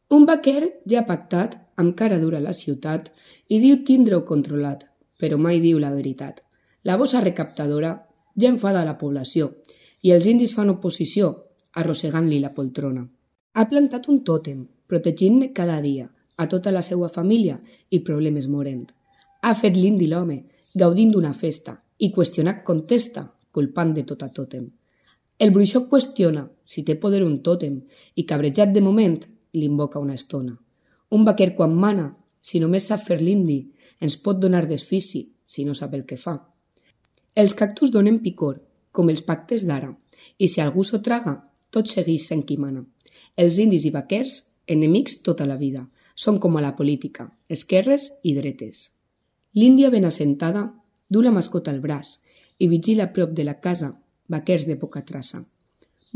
Un vaquer ja ha pactat, amb cara dura a la ciutat, i diu tindre-ho controlat, però mai diu la veritat. La bossa recaptadora ja enfada la població i els indis fan oposició, arrossegant-li la poltrona. Ha plantat un tòtem, protegint-ne cada dia, a tota la seva família i problemes morent. Ha fet l'indi l'home, gaudint d'una festa, i qüestionat contesta, culpant de tot a tòtem. El bruixot qüestiona si té poder un tòtem i cabrejat de moment l'invoca una estona. Un vaquer quan mana, si només sap fer l'indi, ens pot donar desfici si no sap el que fa. Els cactus donen picor, com els pactes d'ara, i si algú s'ho traga, tot segueix sent qui mana. Els indis i vaquers, enemics tota la vida, són com a la política, esquerres i dretes. L'índia ben assentada du la mascota al braç i vigila a prop de la casa vaquers de poca traça.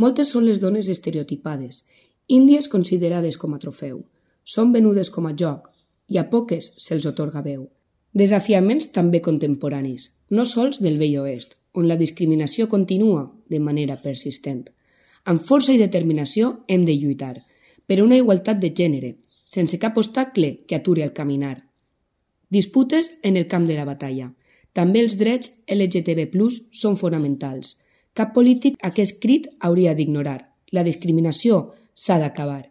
Moltes són les dones estereotipades, índies considerades com a trofeu. Són venudes com a joc i a poques se'ls atorga veu. Desafiaments també contemporanis, no sols del vell oest, on la discriminació continua de manera persistent. Amb força i determinació hem de lluitar per una igualtat de gènere, sense cap obstacle que aturi el caminar. Disputes en el camp de la batalla. També els drets LGTB+ són fonamentals. Cap polític aquest crit hauria d'ignorar. La discriminació s'ha d'acabar.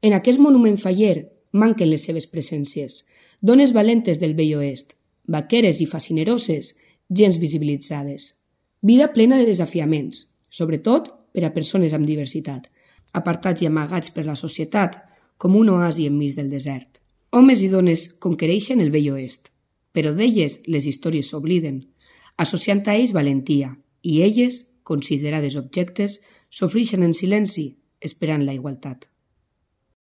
En aquest monument faller manquen les seves presències. Dones valentes del vell oest, vaqueres i fascineroses, gens visibilitzades. Vida plena de desafiaments, sobretot per a persones amb diversitat, apartats i amagats per la societat com un oasi enmig del desert. Homes i dones conquereixen el vell oest, però d'elles les històries s'obliden, associant a ells valentia, i elles, considerades objectes, sofreixen en silenci, esperant la igualtat.